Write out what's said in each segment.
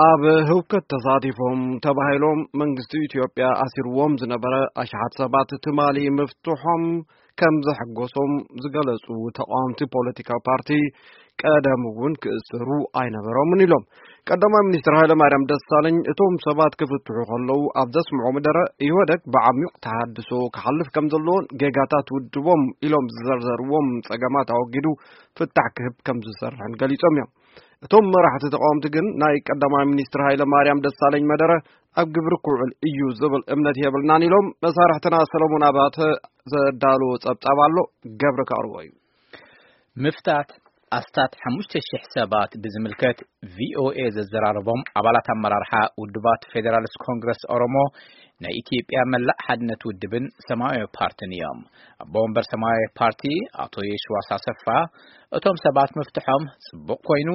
ኣብ ህውከት ተሳቲፎም ተባሂሎም መንግስቲ ኢትዮጵያ ኣሲርዎም ዝነበረ ኣሽሓት ሰባት ትማሊ ምፍትሖም ከም ዘሐጎሶም ዝገለጹ ተቃወምቲ ፖለቲካዊ ፓርቲ፣ ቀደም እውን ክእሰሩ ኣይነበሮምን ኢሎም። ቀዳማይ ሚኒስትር ሃይለማርያም ደሳለኝ እቶም ሰባት ክፍትሑ ከለዉ ኣብ ዘስምዖ መደረ፣ ኢህወደግ ብዓሚቕ ተሃድሶ ክሓልፍ ከም ዘለዎን ጌጋታት ውድቦም ኢሎም ዝዘርዘርዎም ጸገማት ኣወጊዱ ፍታሕ ክህብ ከም ዝሰርሕን ገሊጾም እዮም። እቶም መራሕቲ ተቃወምቲ ግን ናይ ቀዳማይ ሚኒስትር ሃይለማርያም ደሳለኝ መደረ ኣብ ግብሪ ክውዕል እዩ ዝብል እምነት የብልናን ኢሎም። መሳርሕትና ሰለሞን ኣባተ ዘዳለዎ ጸብጻብ ኣሎ፣ ገብረ ከቕርቦ እዩ። ምፍታት ኣስታት ሓሙሽተ ሽሕ ሰባት ብዝምልከት ቪኦኤ ዘዘራረቦም ኣባላት ኣመራርሓ ውድባት ፌዴራሊስት ኮንግረስ ኦሮሞ፣ ናይ ኢትዮጵያ መላእ ሓድነት ውድብን ሰማያዊ ፓርቲን እዮም። ኣቦ ወንበር ሰማያዊ ፓርቲ ኣቶ የሽዋስ ኣሰፋ፣ እቶም ሰባት ምፍትሖም ጽቡቕ ኮይኑ፣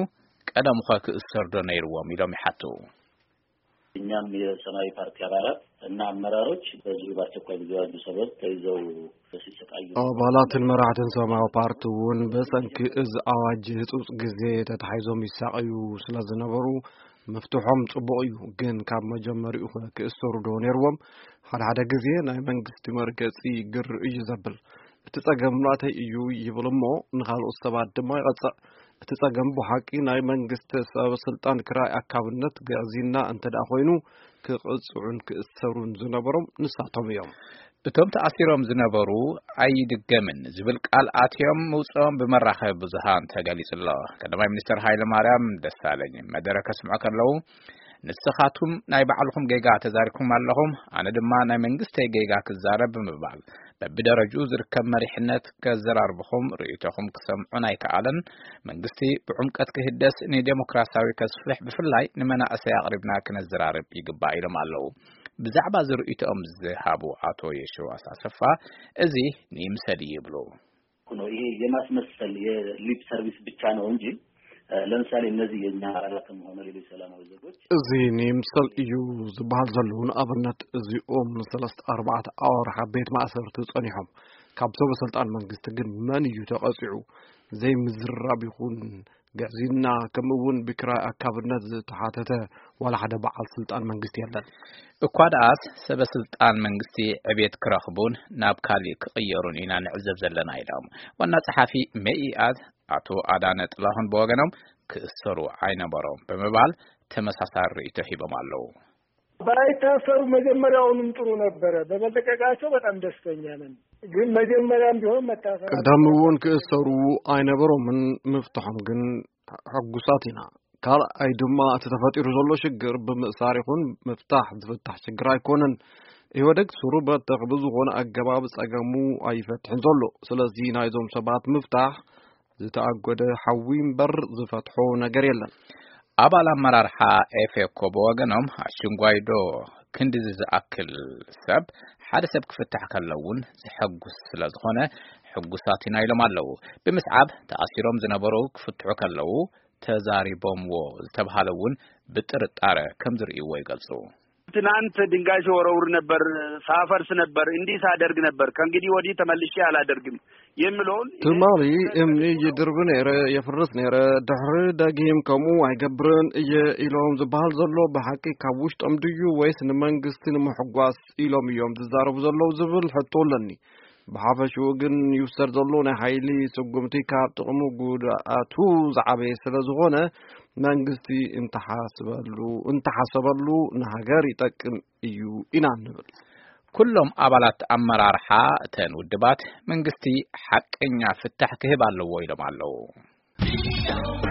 ቀደምኸ ክእሰሩ ዶ ነይርዎም ኢሎም ይሓቱ። እኛም የሰማያዊ ፓርቲ አባላት እና አመራሮች በዚሁ በአስቸኳይ ጊዜ አዋጁ ሰበብ ተይዘው ሲሰቃዩ፣ ኣባላትን መራሕትን ሰማያዊ ፓርቲ እውን ብሰንኪ እዚ ኣዋጅ ህጹጽ ግዜ ተታሒዞም ይሳቐዩ ስለ ዝነበሩ፣ ምፍትሖም ጽቡቕ እዩ፣ ግን ካብ መጀመሪኡ ክእሰሩ ዶ ነይርዎም? ሓደ ሓደ ግዜ ናይ መንግስቲ መርገጺ ግር እዩ ዘብል። እቲ ጸገም ናተይ እዩ ይብል እሞ፣ ንኻልኦት ሰባት ድማ ይቐጽዕ። እቲ ጸገም ብሓቂ ናይ መንግስቲ ሰብ ስልጣን ክራይ ኣካብነት ግዕዝይና እንተ ደኣ ኮይኑ፣ ክቕጽዑን ክእሰሩን ዝነበሮም ንሳቶም እዮም። እቶም ተኣሲሮም ዝነበሩ ኣይድገምን ዝብል ቃል ኣትዮም ምውጽኦም ብመራኸቢ ብዙሃን ተገሊጹ ኣሎ። ቀዳማይ ሚኒስትር ሃይለ ማርያም ደሳለኝ መደረ ከስምዑ ከለዉ፣ "ንስኻቱም ናይ ባዕልኹም ጌጋ ተዛሪብኩም ኣለኹም፣ ኣነ ድማ ናይ መንግስተይ ጌጋ ክዛረብ" ብምባል፣ በብደረጅኡ ዝርከብ መሪሕነት ከዘራርብኹም፣ ርእይቶኹም ክሰምዑን ኣይከኣለን። መንግስቲ ብዕምቀት ክህደስ፣ ንዴሞክራሲያዊ ከስፍሕ፣ ብፍላይ ንመናእሰይ ኣቕሪብና ክነዘራርብ ይግባእ ኢሎም ኣለዉ። ብዛዕባ እዚ ርእይቶኦም ዝሃቡ ኣቶ የሽዋስ ኣሰፋ፣ እዚ ንይምሰል ይብሉ። ነው። ይሄ የማስመሰል የሊፕ ሰርቪስ ብቻ ነው እንጂ፣ እ፣ ለምሳሌ እነዚህ የእኛ አባላትም ሆነ ሌሎች ሰላማዊ ዜጎች እዚ ንይምሰል እዩ ዝበሃል ዘለዉ። ንኣብነት እዚኦም ሰለስተ ኣርባዕተ ኣዋርሕ ኣብ ቤት ማእሰርቲ ጸኒሖም። ካብ ሰበ ስልጣን መንግስቲ ግን መን እዩ ተቐጺዑ? ዘይምዝርራብ ይኹን ግዕዝይና፣ ከምኡ እውን ብክራይ ኣካብነት ዝተሓተተ ዋላ ሓደ በዓል ስልጣን መንግስቲ የለን። እኳ ደኣስ ሰበ ስልጣን መንግስቲ ዕቤት ክረኽቡን ናብ ካሊእ ክቕየሩን ኢና ንዕዘብ ዘለና ኢሎም። ዋና ጸሓፊ መኢኣድ ኣቶ ኣዳነ ጥላሁን ብወገኖም ክእሰሩ ኣይነበሮም ብምባል ተመሳሳሊ ርእይቶ ሂቦም ኣለዉ። ባይታሰሩ መጀመሪያውንም ጥሩ ነበረ። በመለቀቃቸው በጣም ደስተኛ ነን። ግን መጀመሪያም ቢሆን መታሰር ቀደም እውን ክእሰሩ ኣይነበሮምን፣ ምፍትሖም ግን ሕጉሳት ኢና። ካልኣይ ድማ እቲ ተፈጢሩ ዘሎ ሽግር ብምእሳር ይኹን ምፍታሕ ዝፍታሕ ሽግር ኣይኮነን። ኢህወደግ ስሩ በተኽ ብዝኾነ ኣገባብ ጸገሙ ኣይፈትሕን ዘሎ። ስለዚ ናይዞም ሰባት ምፍታሕ ዝተኣጎደ ሓዊ እምበር ዝፈትሖ ነገር የለን። ኣባል ኣመራርሓ ኤፌኮ ብወገኖም፣ ኣሽንጓይዶ ክንድዚ ዝኣክል ሰብ፣ ሓደ ሰብ ክፍታሕ ከሎ እውን ዘሐጉስ ስለ ዝኾነ፣ ሕጉሳት ኢና ኢሎም ኣለዉ። ብምስዓብ ተኣሲሮም ዝነበሩ ክፍትሑ ከለዉ ተዛሪቦምዎ ዝተብሃለ እውን ብጥርጣረ ከም ዝርእይዎ ይገልጹ። ትናንት ድንጋይ ሲወረውር ነበር፣ ሳፈርስ ነበር፣ እንዲህ ሳደርግ ነበር፣ ከእንግዲህ ወዲህ ተመልሼ አላደርግም የሚለውን ትማሊ እምኒ ይድርብ ነይረ፣ የፍርስ ነይረ፣ ድሕሪ ደጊም ከምኡ ኣይገብርን እየ ኢሎም ዝበሃል ዘሎ ብሓቂ ካብ ውሽጦም ድዩ ወይስ ንመንግስቲ ንምሕጓስ ኢሎም እዮም ዝዛረቡ ዘለዉ ዝብል ሕቶ ኣለኒ። ብሓፈሽኡ ግን ይውሰድ ዘሎ ናይ ሓይሊ ስጉምቲ ካብ ጥቕሙ ጉድኣቱ ዝዓበየ ስለ ዝኾነ፣ መንግስቲ እንተሓስበሉ፣ እንተሓሰበሉ ንሃገር ይጠቅም እዩ ኢና ንብል። ኩሎም ኣባላት ኣመራርሓ እተን ውድባት፣ መንግስቲ ሓቀኛ ፍታሕ ክህብ ኣለዎ ኢሎም ኣለዉ።